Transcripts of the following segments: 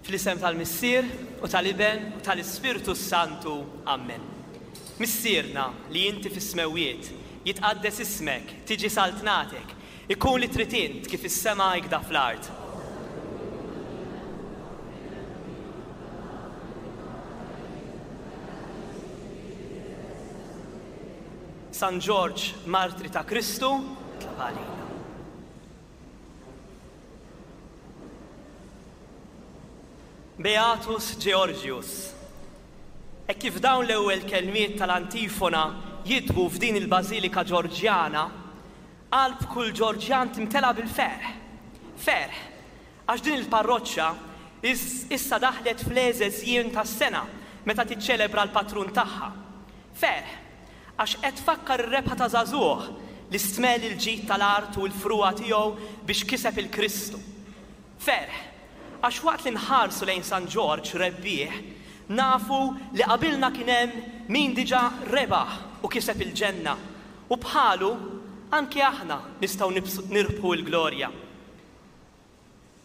Fl-isem tal-Missier u tal-Iben u tal-Ispirtu s-Santu. Ammen. Missierna li inti fis-smewwiet, jitqaddes ismek, tiġi saltnatek, ikun li trid int kif is-sema ikda fl-art. San Ġorġ, martri ta' Kristu, itlob għalina. Beatus Georgius. Hekk kif dawn l-ewwel kelmiet tal-antifona jidwu f'din il-Bażilika Ġorġjana, qalb kull Ġorġjan timtela bil-ferħ. Ferħ, għax din il-parroċċa issa daħlet fl-egħżeż jiem tas-sena meta tiċċelebra l-patrun tagħha. Ferħ, għax qed tfakkar ir-rebħa ta' żagħżugħ li stmell il-ġid tal-art u l-frugħa tiegħu biex kiseb 'il Kristu. Ferħ, għax waqt li nħarsu lejn San Ġorġ rebbieħ, nafu li qabilna kien hemm min diġà rebaħ u kiseb il-ġenna, u bħalu anki aħna nistgħu nirbħu l-glorja.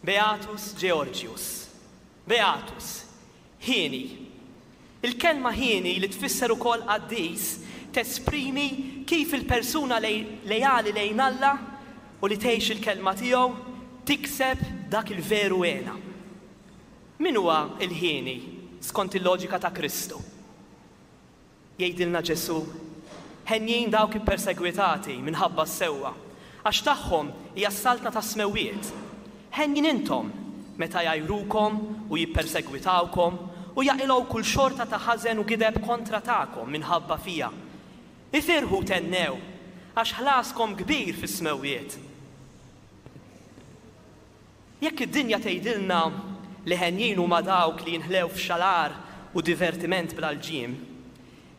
Beatus Georgius. Beatus. Hieni. Il-kelma hieni li tfisser ukoll qaddis tesprimi kif il-persuna leali lejn Alla u li tgħix il-kelma tiegħu tikseb dak il-veru hena. Min huwa l-hieni skont il-loġika ta' Kristu? Jgħidilna Ġesù, Henjin dawk ippersegwitati minħabba s-sewwa, għax tagħhom hija s-saltna tas-smewwiet. Henjin intom meta jgħajrukom u jippersegwitawkom u jaqilgħu kull xorta ta' ħażen u gideb kontra tagħkom minħabba fija. Ifirħu u thennew, għax ħlaskom kbir fis-smewwiet. Jekk id-dinja tgħidilna li henjin huma dawk li jinħlew f'xalar u divertiment bla lġiem,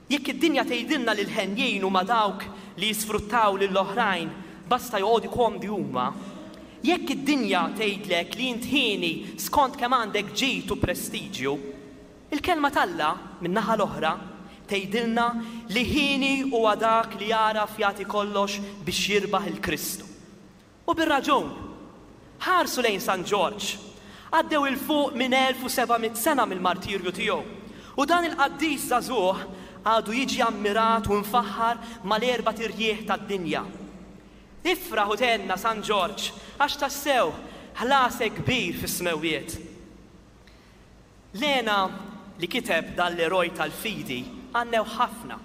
jekk id-dinja tgħidilna li l-henjin huma dawk li jisfruttaw lill-oħrajn basta joqogħdu komdi huma, jekk id-dinja tgħidlek li int hieni skont kemm għandek ġid u prestiġju, il-Kelma t'Alla, min-naħa l-oħra, tgħidilna li hieni huwa dak li jagħraf jagħti kollox biex jirbaħ 'il Kristu. U bir-raġun! Ħarsu lejn San Ġorġ. Għaddew 'il fuq minn 1700 sena mill-martirju tiegħu, u dan il-qaddis żagħżugħ għadu jiġi ammirat u mfaħħar mal-erbat irjieħ tad-dinja. Ifraħ u thenna, San Ġorġ, għax tassew ħlasek kbir fis-smewwiet. L-hena li kiteb dan l-eroj tal-fidi għannew ħafna,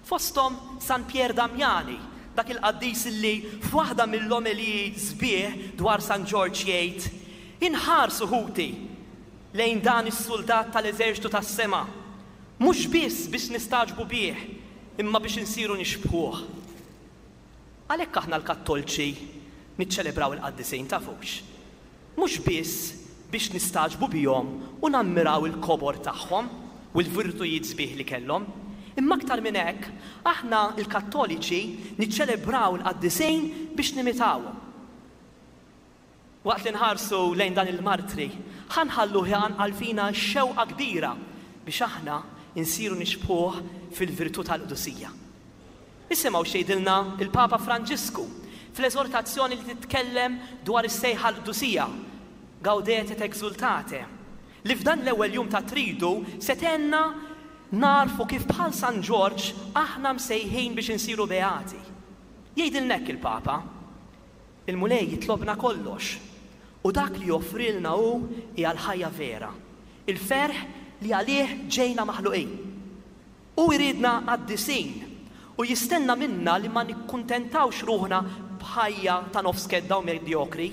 fosthom San Pier Damiani, dak il-qaddis li f'waħda mill-omeliji sbieħ dwar San Ġorġ jgħid, Inħarsu, ħuti, lejn dan is-suldat tal-eżerċtu tas-sema, mhux biss biex nistagħġbu bih, imma biex insiru nixbħuh. Għalhekk aħna l-Kattolċi niċċelebraw il-qaddisin, tafux? Mhux biss biex nistagħġbu bihom u nammiraw il-kobor tagħhom u l-virtujiet sbieħ li kellhom, imma aktar minn hekk, aħna l-Kattoliċi niċċelebraw il-qaddisin biex nimitawhom. Waqt li nħarsu lejn dan il-martri, ħa nħalluh iqanqal fina x-xewqa kbira biex aħna nsiru nixbħuh fil-virtù tal-qdusija. Isimgħu x'jgħidilna l-Papa Franġisku fl-eżortazzjoni li titkellem dwar is-sejħa għall-qdusija, Gaudete et exultate, li f'dan l-ewwel jum tat-Tridu se tgħinna nagħrfu kif bħal San Ġorġ aħna msejħin biex insiru beati. Jgħidilna hekk il-Papa, Il-Mulej jitlobna kollox, u dak li joffrilna hu hija l-ħajja vera, il-ferħ li għalih ġejna maħluqin. Hu jridna qaddisin u jistenna minna li ma nikkuntentawx ruħna b'ħajja ta' nofs kedda u medjokri.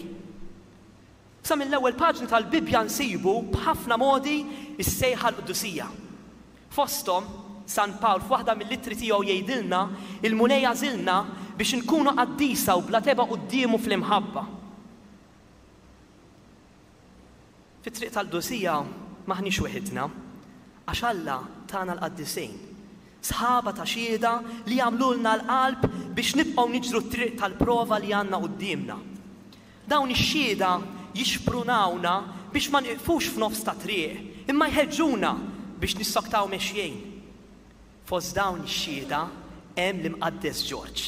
Sa mill-ewwel paġni tal-Bibbja nsibu b'ħafna modi s-sejħa għall-qdusija. Fosthom, San Pawl f'waħda mill-ittri tiegħu jgħidilna, Il-Mulej għażilna biex inkunu qaddisa u bla tebgħa quddiemu fl-imħabba. Fit-triq tal-qdusija m'aħniex weħidna, għax Alla tana l-qaddisin, sħaba ta' xhieda li jagħmlulna l-qalb biex nibqgħu niġru t-triq tal-prova li għandna quddiemna. Dawn ix-xhieda jixprunawna biex ma nieqfux f'nofs ta' triq, imma jħeġġuna biex nissoktaw mexjin. Fost dawn ix-xhieda hemm l-Imqaddes Ġorġ.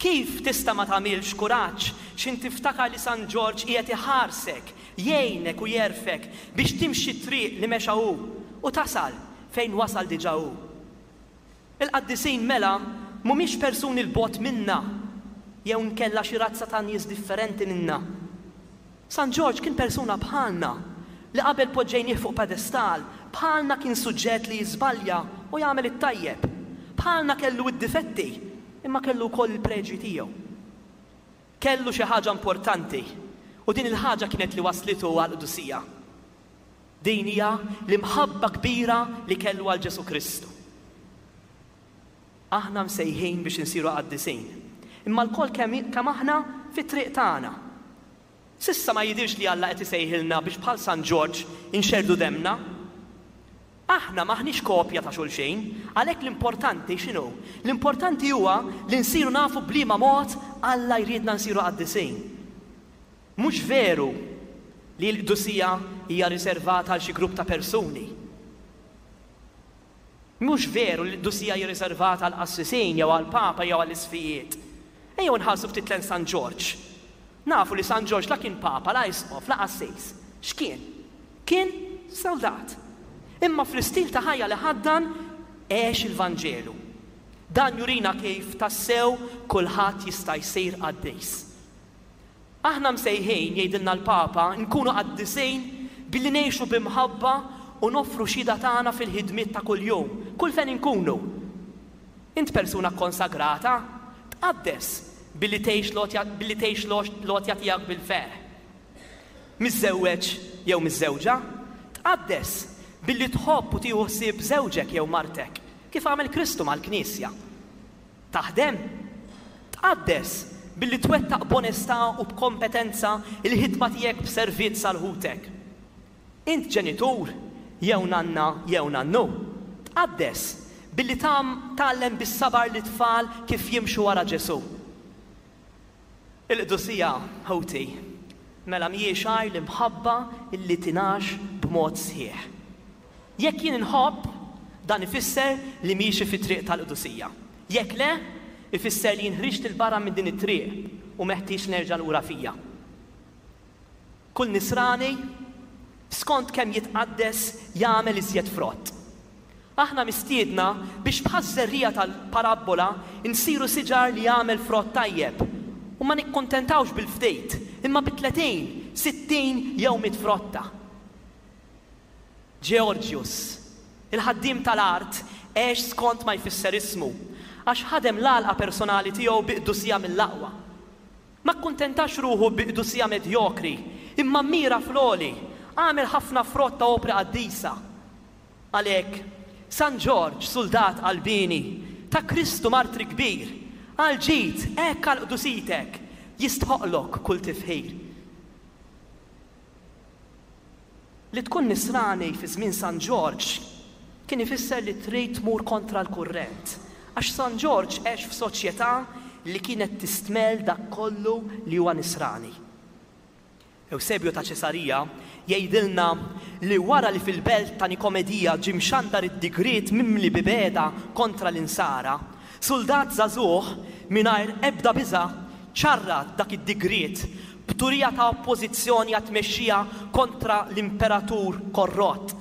Kif tista' ma tagħmilx kuraġġ x'int tiftakar li San Ġorġ qiegħed iħarsek, Jgħinek u jgħerfek biex timxi t-triq li mexa hu u tasal fejn wasal diġà hu. Il-qaddisin mela mhumiex persuni 'l bogħod minna jew inkella xi razza ta' nies differenti minna. San Ġorġ kien persuna bħalna, li qabel poġġejnieh fuq pedestal, bħalna kien suġġett li jiżbalja u jagħmel it-tajjeb. Bħalna kellu d-difetti, imma kellu wkoll il-preġji tiegħu. Kellu xi ħaġa importanti, u din il-ħaġa kienet li wasslitu għall-qdusija. Din hija l-imħabba kbira li kellu għal Ġesù Kristu. Aħna msejħin biex insiru qaddisin, imma lkoll kemm kemm aħna fit-triq tagħna. S'issa ma jidhirx li Alla qed isejħilna biex bħal San Ġorġ inxerrdu demmna. Aħna m'aħniex kopja ta' xulxin, għalhekk l-importanti x'inhu? L-importanti huwa li nsiru nafu b'liema mod Alla jridna nsiru qaddisin. Mhux veru li l-qdusija hija riservata għal xi grupp ta' persuni. Mhux veru li l-qdusija hi riservata għall-qassisin jew għall-papa jew għall-isqfijiet. Ejjew inħarsu ftit lejn San Ġorġ. Nafu li San Ġorġ la kien papa, la isqof, la qassis. X'kien? Kien soldat. Imma fl-istil ta' ħajja li ħaddan għex il-Vanġelu. Dan jurina kif tassew kulħadd jista' jsir qaddis. Aħna msejħin, jgħidilna l-Papa, nkunu qaddisin billi ngħixu bi mħabba u noffru xhieda tagħna fil-ħidmiet ta' kuljum, kull fejn inkunu. Int persuna kkonsagrata? Tqaddes billi tgħix l-għotja billi tgħix l-għotja tiegħek bil-ferħ. Miżżewweġ jew miżżewġa? Tqaddes billi tħobb u tieħu ħsieb żewġek jew martek, kif għamel Kristu mal-Knisja. Taħdem? Tqaddes billi twettaq b'onestà u b'kompetenza l-ħidma tiegħek b'servizz għal ħutek. Int ġenitur jew nanna jew nannu? Tqaddes billi tgħallem bis-sabar lit-tfal kif jimxu wara Ġesù. Il-qdusija, ħuti, mela mhijiex għajr l-imħabba li tingħax b'mod sħiħ. Jekk jien inħobb, dan ifisser li miexi fit-triq tal-qdusija. Jekk le, ifisser li jien ħriġt 'il barra minn din it-triq u meħtieġ nerġa' lura fija. Kull nisrani, skont kemm jitqaddes, jagħmel iżjed frott. Aħna mistiedna biex bħaż-żerriegħa tal-parabbola nsiru siġar li jagħmel frott tajjeb u ma nikkuntentawx bil-ftit, imma bi 30, 60 jew mitt frotta. Georgius, il-ħaddiem tal-art, għex skont ma jfisser ismu, għax ħadem l-għalqa personali tiegħu bi qdusija mill-aqwa. Ma kkuntentax ruħu bi qdusija medjokri, imma mmira fl-għoli, għamel ħafna frott ta' opri qaddisa. Għalhekk, San Ġorġ, suldat qalbieni, ta' Kristu martri kbir, għall-ġid, hekk għal qdusitek, jistħoqqlok kull tifħir. Li tkun Nisrani fi żmien San Ġorġ kien ifisser li trid tmur kontra l-kurrent, għax San Ġorġ għex f'soċjetà li kienet tistmell dak kollu li huwa Nisrani. Ewsebju ta' Ċesarija jgħidilna li wara li fil-belt ta' Nikomedija ġie mxandar id-digriet mimli bibegħda kontra l-Insara, suldat żagħżugħ mingħajr ebda biża' ċarrat dak id-digriet b'turija ta' oppożizzjoni għat-tmexxija kontra l-imperatur korrott.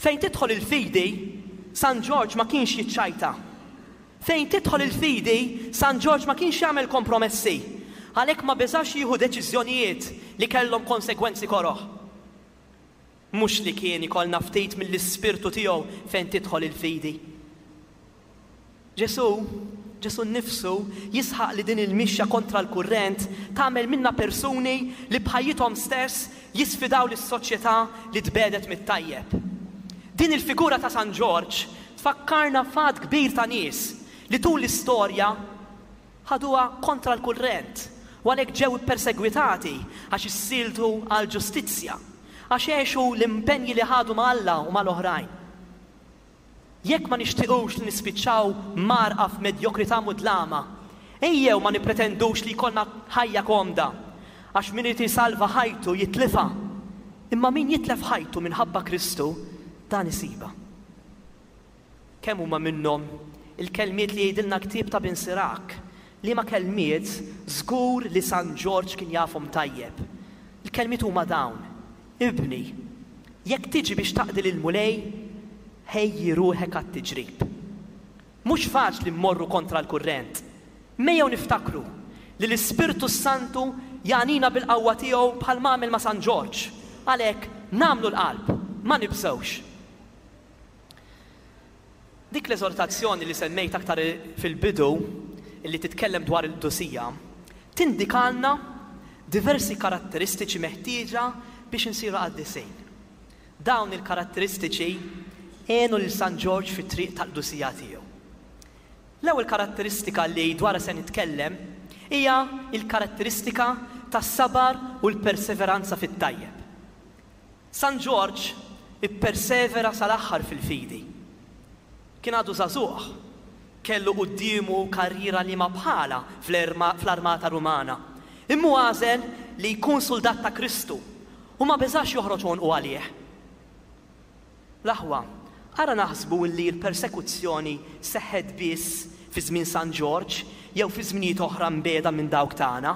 Fejn tidħol il-fidi, San Ġorġ ma kienx jiċċajta. Fejn tidħol il-fidi, San Ġorġ ma kienx jagħmel kompromessi. Għalhekk ma beżax jieħu deċiżjonijiet li kellhom konsegwenzi koroh. Mhux li kien ikollna ftit mill-ispirtu tiegħu fejn tidħol il-fidi. Ġesù, Ġesù nnifsu, jisħaq li din il-mixja kontra l-kurrent tagħmel minna persuni li b'ħajjithom stess jisfidaw lis-soċjetà li tbiegħdet mit-tajjeb. Din il-figura ta' San Ġorġ tfakkarna f'għadd kbir ta' nies li tul l-istorja ħaduha kontra l-kurrent u għalhekk ġew ippersegwitati għax issieltu għall-ġustizzja, għax għexu l-impenji li ħadu ma' Alla u mal-oħrajn. Jekk ma nixtiqux li nispiċċaw mgħarrqa f'medjokrità mudlama, ejjew ma nippretendux li jkollna ħajja komda, għax min irid isalva ħajtu jitlifha, imma min jitlef ħajtu minħabba Kristu, dan isibha. Kemm huma minnhom il-kelmiet li jgħidilna l-ktieb ta' Bin Sirak, liema kelmiet żgur li San Ġorġ kien jafhom tajjeb. Il-kelmiet huma dawn, Ibni, jekk tiġi biex taqdi lill-Mulej, ħejji ruħek għat-tiġrib. Mhux faċli mmorru kontra l-kurrent. M'ejjew niftakru li l-Ispirtu s-Santu jagħnina bil-qawwa tiegħu bħalma għamel ma' San Ġorġ. Għalhekk, nagħmlu l-qalb, ma nibżgħux. Dik l-eżortazzjoni li semmejt aktar fil-bidu, li titkellem dwar il-qdusija, tindikalna diversi karatteristiċi meħtieġa biex insiru qaddisin. Dawn il-karatteristiċi għenu lil San Ġorġ fit-triq tal-qdusija tiegħu. L-ewwel karatteristika li dwarha se nitkellem hija l-karatteristika tas-sabar u l-perseveranza fit-tajjeb. San Ġorġ ippersevera sal-aħħar fil-fidi. Kien għadu żagħżugħ. Kellu quddiemu karriera liema bħalha fl-armata Rumana. Imma hu għażel li jkun suldat ta' Kristu u ma beżax joħroġ għonqu għalih. L-aħwa, ara naħsbu li l-persekuzzjoni seħħet biss fi żmien San Ġorġ jew fi żminijiet oħra mbiegħda minn dawk tagħna.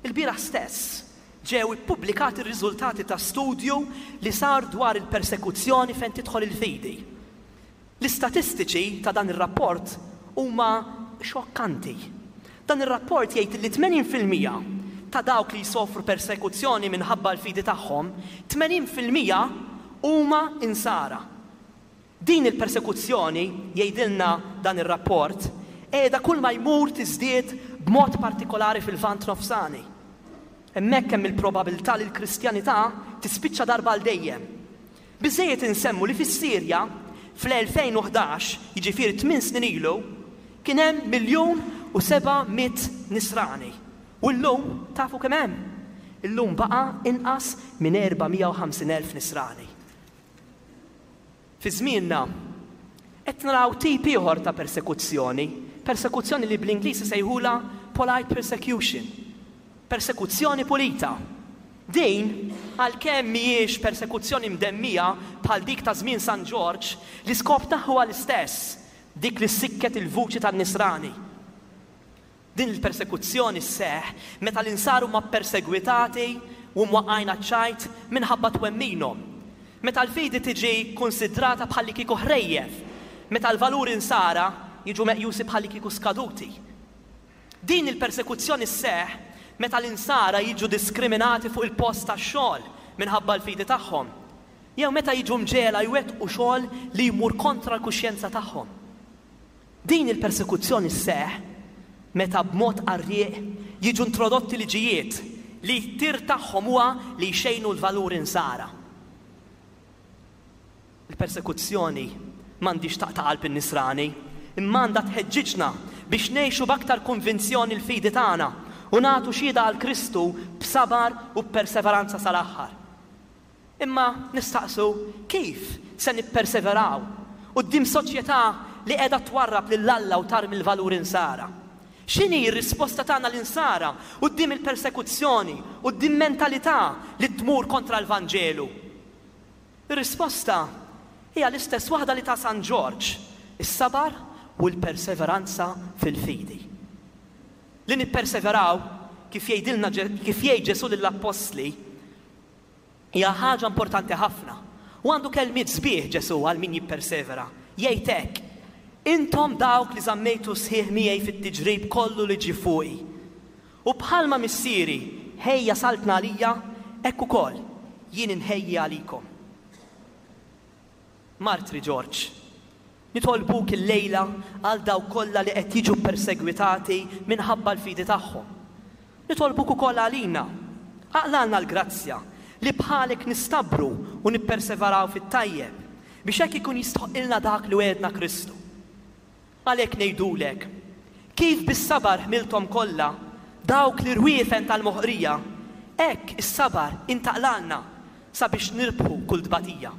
Ilbieraħ stess ġew ippubblikati r-riżultati ta' studju li sar dwar il-persekuzzjoni fejn tidħol il-fidi. L-istatistiċi ta' dan ir-rapport huma xokkanti. Dan ir-rapport jgħid li 80% ta' dawk li jsofru persekuzzjoni minħabba l-fidi tagħhom, 80% huma Insara. Din il-persekuzzjoni, jgħidilna dan ir-rapport, qiegħda kulma jmur tiżdied b'mod partikolari fil-Lvant Nofsani. Hemmhekk hemm il-probabilità li l-Kristjanità tispiċċa darba għal dejjem. Biżżejjed insemmu li fis-Sirja, fl-2011, jiġifieri tminn snin ilu, kien hemm 1,700,000 Nisrani. U llum tafu kemm hemm? Illum baqa' inqas minn 450,000 Nisrani. Fi żmienna, qed naraw tip ieħor ta' persekuzzjoni, persekuzzjoni li bl-Ingliż isejħulha polite persecution, persekuzzjoni pulita. Din, għalkemm mhijiex persekuzzjoni mdemmija bħal dik ta' żmien San Ġorġ, l-iskop tagħha huwa l-istess, dik li ssikket il-vuċi tan-Nisrani. Din il-persekuzzjoni sseħħ meta l-Insara huma ppersegwitati u mwaqqgħin għaċ-ċajt minħabba twemminhom, meta l-fidi tiġi kkunsidrata bħallikieku ħrejjef, meta l-valuri Nsara jiġu meqjusi bħallikieku skaduti. Din il-persekuzzjoni sseħħ meta l-Insara jiġu diskriminati fuq il-post tax-xogħol minħabba l-fidi tagħhom, jew meta jiġu mġegħla jwettqu xogħol li jmur kontra l-kuxjenza tagħhom. Din il-persekuzzjoni sseħħ meta b'mod qarrieq jiġu introdotti liġijiet li t-tir tagħhom huwa li jxejnu l-valuri Nsara. Il-persekuzzjoni m'għandhiex taqta' qalb in-Nisrani, imma għandha tħeġġiġna biex ngħixu b'aktar konvinzjoni l-fidi tagħna u nagħtu xhieda għal Kristu b'sabar u b'perseveranza sal-aħħar. Imma nistaqsu kif se nipperseveraw quddiem soċjetà li qiegħda twarrab lil Alla u tarmi l-valuri Nsara? X'inhi r-risposta tagħna l-Insara quddiem il-persekuzzjoni, quddiem mentalità li tmur kontra l-Vanġelu? Ir-risposta hija l-istess waħda li ta San Ġorġ, is-sabar u l-perseveranza fil-fidi. Li nipperseveraw, kif jgħidilna kif jgħid Ġesù lill-appostli, Hija ħaġa importanti ħafna. U għandu kelmiet sbieħ Ġesù għal min jippersevera. Jgħid hekk, Intom dawk li żammejtu sħiħ miegħi fit-tiġrib kollu li ġie fuqi. U bħalma Missieri ħejja saltna għalija, hekk ukoll jien inħejji għalikom. Martri Ġorġ, nitolbuk illejla għal dawk kollha li qed jiġu ppersegwitati minħabba l-fidi tagħhom. Nitolbuk ukoll għalina. Aqlgħalna l-grazzja li bħalek nistabru u nipperseveraw fit-tajjeb, biex hekk ikun jistħoqqilna dak li wegħedna Kristu. Għalhekk ngħidulek, kif bis-sabar ħmilthom kollha dawk l-irwiefen tal-moħqrija, hekk is-sabar intaqlgħalna sabiex nirbħu kull tbatija.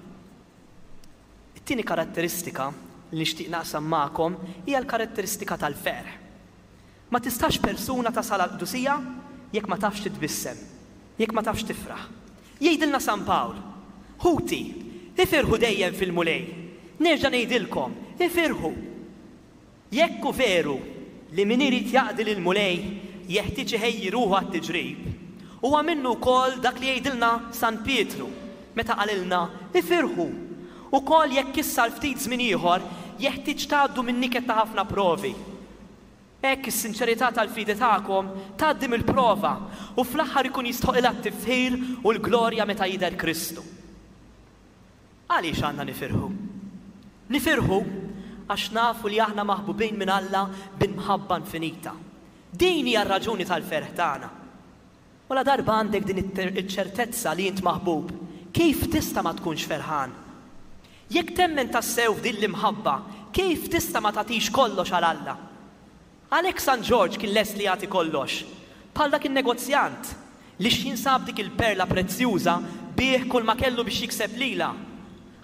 It-tieni karatteristika li nixtieq naqsam magħkom hija l-karatteristika tal-ferħ. Ma tistax persuna tasal għall-qdusija jekk ma tafx titbissem, jekk ma tafx tifraħ. Jgħidilna San Pawl, Ħuti, ifirħu dejjem fil-Mulej. Nerġa' ngħidilkom, ifirħu! Jekk hu veru li min irid jaqdi lill-Mulej jeħtieġ iħejji ruħu għat-tiġrib, Huwa minnu wkoll dak li jgħidilna San Pietru meta qalilna, Ifirħu! Ukoll jekk issa għal ftit żmien ieħor jeħtieġ tgħaddu min-niket ta' ħafna provi. Hekk is-sinċerità tal-fidi tagħkom tgħaddi mill-prova u fl-aħħar ikun jistħoqilha t-tifħir u l-glorja meta jidher Kristu. Għaliex għandna nifirħu? Nifirħu għax nafu li aħna maħbubin minn Alla b'imħabba infinita. Din hija r-raġuni tal-ferħ tagħna. U ladarba għandek din iċ-ċertezza li int maħbub, kif tista' ma tkunx ferħan? Jekk temmen tassew f'din l-imħabba, kif tista' ma tagħtix kollox għal Alla? Għalhekk San Ġorġ kien lest li jagħti kollox, bħal dak in-negozjant li x'ħin sab dik il-perla prezzjuża biegħ kulma kellu biex jikseb lilha.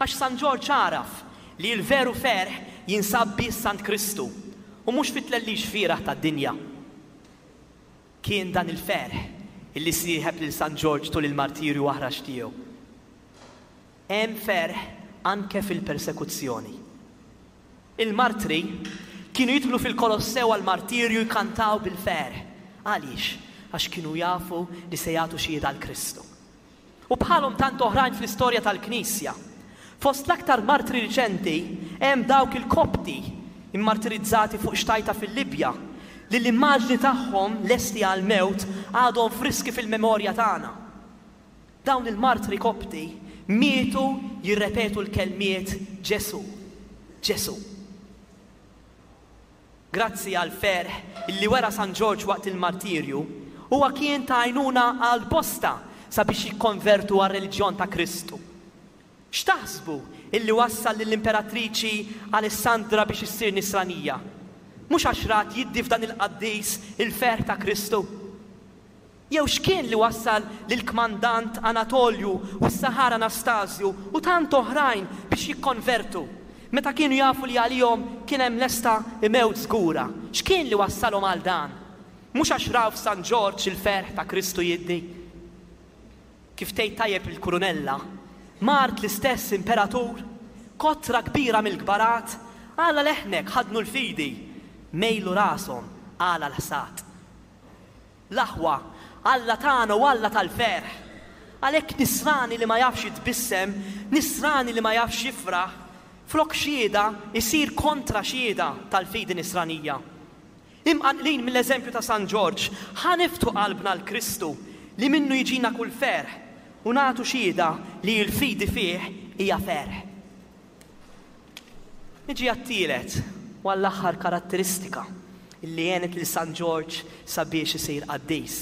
Għax San Ġorġ għaraf li l-veru ferħ jinsab biss għand Kristu u mhux fit-tlellix fieragħ tad-dinja. Kien dan il-ferħ illi sieħeb lil San Ġorġ tul il-martirju aħrax tiegħu. Hemm ferħ anke fil-persekuzzjoni. Il-martri kienu jidħlu fil-Kolossew għall-martirju jkantaw bil-ferħ. Għaliex? Għax kienu jafu li se jagħtu xhieda għal Kristu. U bħalhom tant oħrajn fl-istorja tal-Knisja. Fost l-aktar martri riċenti hemm dawk il-Kopti mmartirizzati fuq xtajta fil-Libja, li l-immaġni tagħhom lesti għall-mewt għadhom friski fil-memorja tagħna. Dawn il-martri Kopti mietu jirrepetu l-kelmiet Ġesù, Ġesù. Grazzi għall-ferħ li wera San Ġorġ waqt il-martirju, huwa kien ta' għajnuna għal bosta sabiex jikkonvertu għar-reliġjon ta' Kristu. X'taħsbu illi wassal lill-Imperatriċi Alessandra biex issir Nisranija? Mhux għax rat jiddi f'dan il-qaddis il-ferħ ta' Kristu? Jew x'kien li wassal lill-kmandant Anatolju u s-saħar Anastasju u tant oħrajn biex jikkonvertu, meta kienu jafu li għalihom kien hemm lesta mewt żgura? X'kien li wassalhom għal dan? Mhux għax raw f'San Ġorġ il-ferħ ta' Kristu jiddi? Kif tgħid tajjeb il-Kurunella, mart l-istess imperatur, kotra kbira mill-kbarat, għala leħnek ħaddnu l-fidi, mejlu rashom għala l-ħsad. L-aħwa, Alla tagħna hu Alla tal-ferħ. Għalhekk nisrani li ma jafx jitbissem, nisrani li ma jafx jifraħ, flok xhieda jsir kontra xhieda tal-fidi nisranija. Imqanqlin mill-eżempju ta' San Ġorġ, ħa niftħu qalbna għal Kristu li minnu jiġina kull ferħ u nagħtu xhieda li l-fidi fih hija ferħ. Niġi għat-tielet u għall-aħħar karatteristika li għenet lil San Ġorġ sabiex isir qaddis,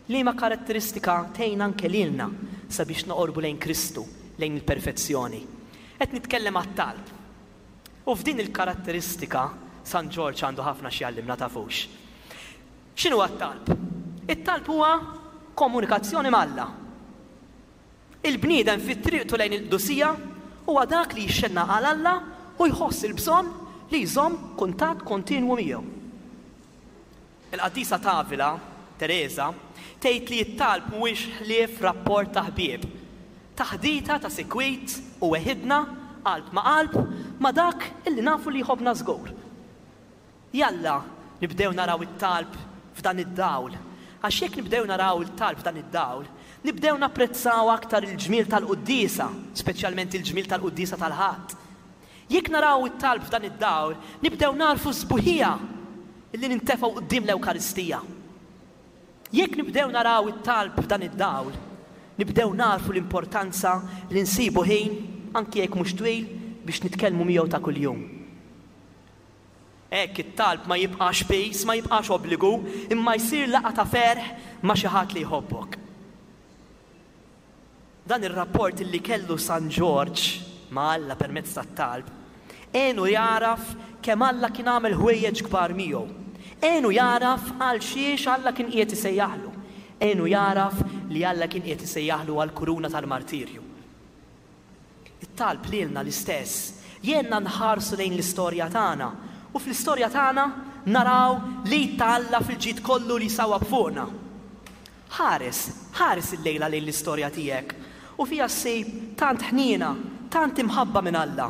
liema karatteristika tgħin anke lilna sabiex noqorbu lejn Kristu, lejn il-perfezzjoni. Qed nitkellem għat-talb. U f'din il-karatteristika San Ġorġ għandu ħafna x'jgħallimna tafux. X'inhuwa t-talb? It-talb huwa komunikazzjoni m'Alla. Il-bniedem fi triqtu lejn il-qdusija huwa dak li jixxennaq għal Alla u jħoss il-bżonn li jżomm kuntatt kontinwu miegħu. Il-qaddisa t'Avila, Tereża, tgħid li t-talb mhuwiex ħlief rapport ta' ħbieb, taħdita ta' sikwit u weħidna, qalb ma' qalb, ma' dak illi nafu li jħobbna żgur. Jalla nibdew naraw it-talb f'dan id-dawl, għax jekk nibdew naraw il-talb f'dan id-dawl, nibdew napprezzaw aktar il-ġmiel tal-quddiesa, speċjalment il-ġmiel tal-quddiesa tal-Ħadd. Jekk naraw it-talb f'dan id-dawl, nibdew nagħrfu s-sbuħija li nintefgħu quddiem l-Ewkaristija. Jekk nibdew naraw it-talb f'dan id-dawl, nibdew nagħrfu l-importanza li nsibu ħin, anki jekk mhux twil, biex nitkellmu miegħu ta' kuljum. Hekk it-talb ma jibqax piż, ma jibqax obbligu, imma jsir laqgħa ta' ferħ ma' xi ħadd li jħobbok. Dan ir-rapport li kellu San Ġorġ ma' Alla permezz tat-talb, għenu jagħraf kemm Alla kien għamel ħwejjeġ kbar miegħu. Għenu jagħraf għal xiex Alla kien qiegħed isejjaħlu. Għenu jagħraf li Alla kien qiegħed isejjaħlu għall-kuruna tal-martirju. It-talb lilna l-istess, jgħinna nħarsu lejn l-istorja tagħna u fl-istorja tagħna naraw l-id ta' Alla fil-ġid kollu li jsawwab fuqna. Ħares, ħares illejla lejn l-istorja tiegħek u fiha ssib tant ħniena, tant imħabba minn Alla.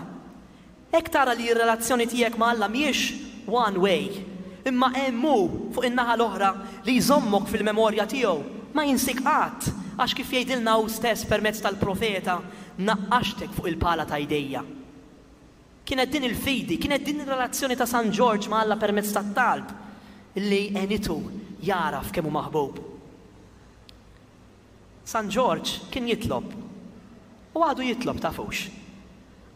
Hekk tara li r-relazzjoni tiegħek ma' Alla mhijiex one way, imma hemm hu fuq in-naħa l-oħra li jżommok fil-memorja tiegħu. Ma jinsik qatt, għax kif jgħidilna hu stess permezz tal-profeta, Naqqaxtek fuq il-pala ta' jdejja. Kienet din il-fidi, kienet din ir-relazzjoni ta' San Ġorġ ma' Alla permezz tat-talb li għenitu jagħraf kemm hu maħbub. San Ġorġ kien jitlob. U għadu jitlob, tafux.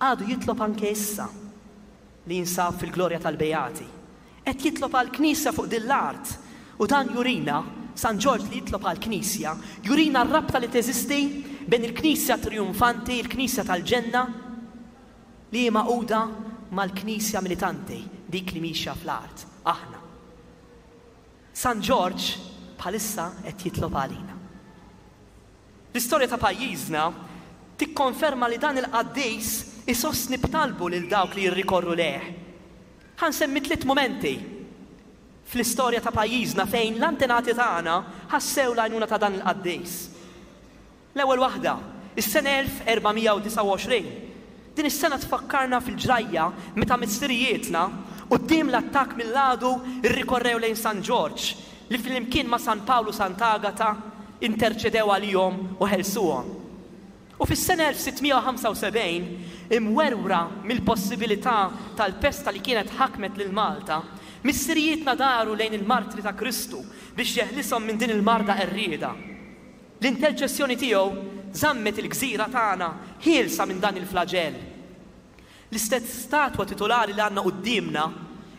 Għadu jitlob anke issa li jinsab fil-glorja tal-Beati. Qed jitlob għall-Knisja fuq din l-art. U dan jurina, San Ġorġ li jitlob għall-Knisja, jurina r-rabta li teżisti bejn il-Knisja trijunfanti, il-Knisja tal-ġenna, li hi magħquda mal-Knisja militanti, dik li mixja fl-art, aħna. San Ġorġ bħalissa qed jitlob għalina. L-istorja ta' pajjiżna tikkonferma li dan il-qaddis isostni b'talbu lil dawk li jirrikorru lejh. Ħa nsemmi tliet mumenti fl-istorja ta' pajjiżna fejn l-antenati tagħna ħassew l-għajnuna ta' dan il-qaddis. L-ewwel waħda, is-sena 1429. Din is-sena tfakkarna fil-ġrajja meta missirijietna, quddiem l-attakk mill-għadu rrikorrew lejn San Ġorġ, li flimkien ma' San Pawl u Sant'Agata interċedew għalihom u ħelsuhom. U fis-sena 1675, imwerwra mill-possibilità tal-pesta li kienet ħakmet lil Malta, missirijietna daru lejn il-martri ta' Kristu biex jeħlishom minn din il-marda qerrieda. L-interċessjoni tiegħu żammet il-gżira tagħna ħielsa minn dan il-flaġell. L-istess statwa titulari li għandna quddiemna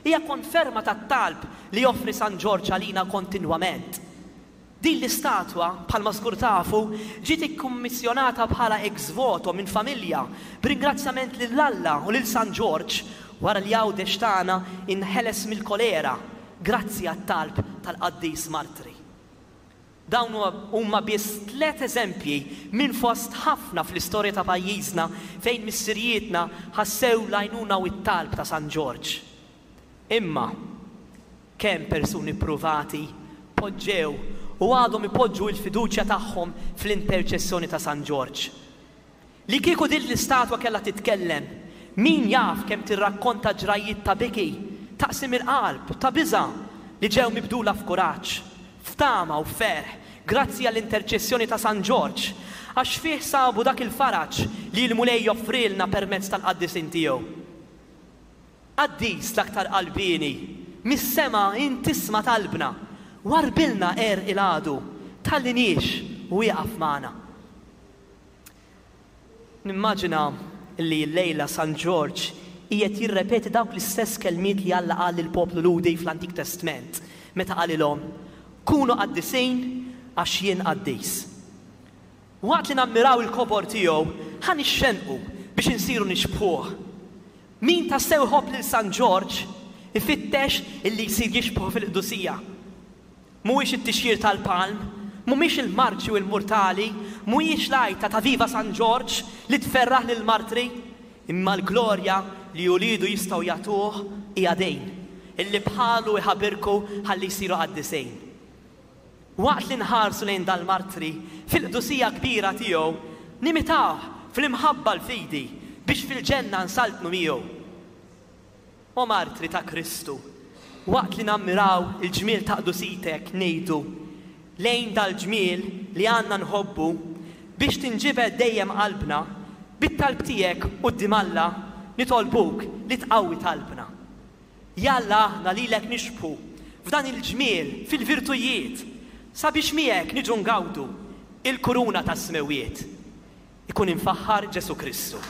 hija konferma tat-talb li joffri San Ġorġ għalina kontinwament. Din l-istatwa, bħalma żgur tafu, ġiet ikkummissjonata bħala ex voto minn familja b'ringrazzjament lil Alla u lil San Ġorġ wara li Għawdex tagħna inħeles mill-kolera grazzi għat-talb tal-qaddis martri. Dawn huma biss tliet eżempji minn fost ħafna fl-istorja ta' pajjiżna fejn missirijietna ħassew l-għajnuna u t-talb ta' San Ġorġ. Imma kemm persuni ppruvati poġġew u għadhom ipoġġu l-fiduċja tagħhom fl-interċessjoni ta' San Ġorġ. Li kieku din l-istatwa kellha titkellem, min jaf kemm tirrakkonta ġrajjiet ta' biki, ta' qsim il-qalb, ta' biża' li ġew mibdula f'kuraġġ, f'tama u f'ferħ grazzi għall-interċessjoni ta' San Ġorġ, għax fih sabu dak il-faraġ li l-Mulej joffrilna permezz tal-qaddisin tiegħu. Qaddis l-aktar qalbieni, mis-sema int tisma' talbna, warrbilna għerq il-għadu, tħalliniex u ieqaf magħna. Nimmaġina li llejla San Ġorġ qiegħed jirrepeti dawk l-istess kelmiet li Alla qal lill-poplu Lhudi fl-Antik Testment meta qalilhom, Kunu qaddisin għax jien qaddis. Waqt li nammiraw il-kobor tiegħu, ħa nixxennqu biex insiru nixbħuh. Min tassew iħobb lil San Ġorġ ifittex illi jsir jixbħu fil-qdusija. Mhuwiex it-tixjir tal-palm, mhumiex il-marċi u l-murtali, mhuwiex l-għajta ta' Viva San Ġorġ li tferraħ lill-martri, imma l-glorja li uliedu jistgħu jagħtuh hija din, illi bħalu jħabirku ħalli jsiru qaddisin. Waqt li nħarsu lejn dal-martri fil-qdusija kbira tiegħu, nimitawh fl-imħabba l-fidi biex fil-ġenna nsaltnu miegħu. O martri ta' Kristu, waqt li nammiraw il-ġmiel ta' qdusitek, ngħidu, Lejn dal-ġmiel li għandna nħobbu, biex tinġibed dejjem qalbna, bit-talb tiegħek quddiem Alla nitolbuk li tqawwi talbna. Jalla aħna lilek nixbħu f'dan il-ġmiel fil-virtujiet, sabiex miegħek niġu ngawdu il-kuruna tas-smewwiet. Ikun imfaħħar Ġesù Kristu.